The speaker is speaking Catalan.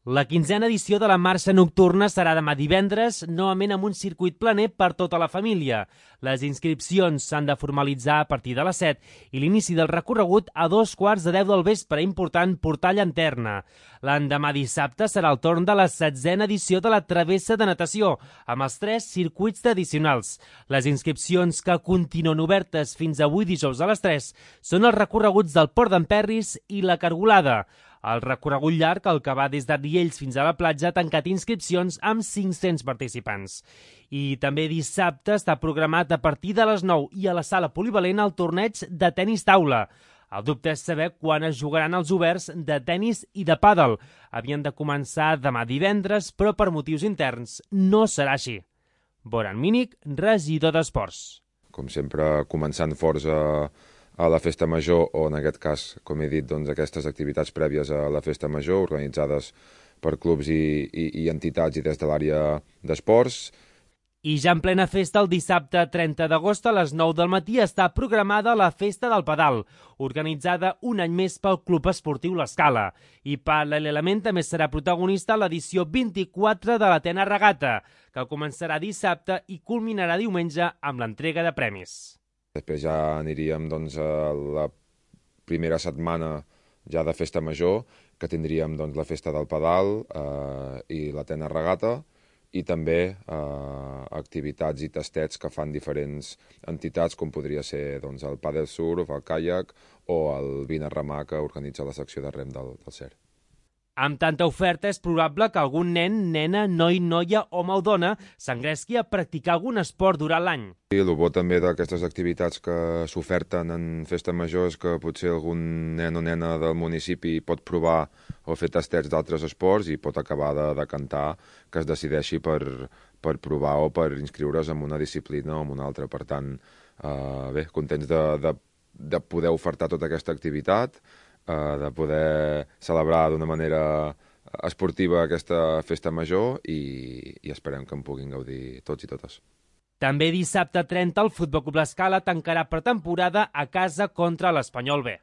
La 15a edició de la marxa nocturna serà demà divendres, novament amb un circuit planer per tota la família. Les inscripcions s'han de formalitzar a partir de les 7 i l'inici del recorregut a 2:15 del vespre, important portar llanterna. L'endemà dissabte serà el torn de la 16a edició de la travessa de natació, amb els 3 circuits tradicionals. Les inscripcions, que continuen obertes fins avui dijous a les 3, són els recorreguts del Port d'en Perris i la Cargolada. El recorregut llarg, el que va des de Riells fins a la platja, ha tancat inscripcions amb 500 participants. I també dissabte està programat a partir de les 9 i a la sala polivalent el torneig de tenis taula. El dubte és saber quan es jugaran els oberts de tenis i de pàdel. Havien de començar demà divendres, però per motius interns no serà així. Boran Mínic, regidor d'Esports. Com sempre, començant forts a la Festa Major, o en aquest cas, com he dit, doncs, aquestes activitats prèvies a la Festa Major, organitzades per clubs i entitats i des de l'àrea d'esports. I ja en plena festa, el dissabte 30 d'agost a les 9 del matí està programada la Festa del Pedal, organitzada un any més pel Club Esportiu L'Escala. I paral·lelament també serà protagonista l'edició 24 de l'Atena Regata, que començarà dissabte i culminarà diumenge amb l'entrega de premis. Després ja aniríem doncs, a la primera setmana ja de Festa Major, que tindríem doncs, la Festa del Pedal i l'Atena Regata, i també activitats i tastets que fan diferents entitats, com podria ser doncs, el pàdel surf, el caiac o el vine a remar que organitza la secció de rem del CER. Amb tanta oferta és probable que algun nen, nena, noi, noia, home o dona s'engresqui a practicar algun esport durant l'any. I el bo també d'aquestes activitats que s'oferten en Festa Major és que potser algun nen o nena del municipi pot provar o fer tastets d'altres esports i pot acabar de decantar que es decideixi per provar o per inscriure's en una disciplina o en una altra. Per tant, bé, contents de poder ofertar tota aquesta activitat, de poder celebrar d'una manera esportiva aquesta Festa Major i esperem que en puguin gaudir tots i totes. També dissabte 30 el Futbol Club L'Escala tancarà per temporada a casa contra l'Espanyol B.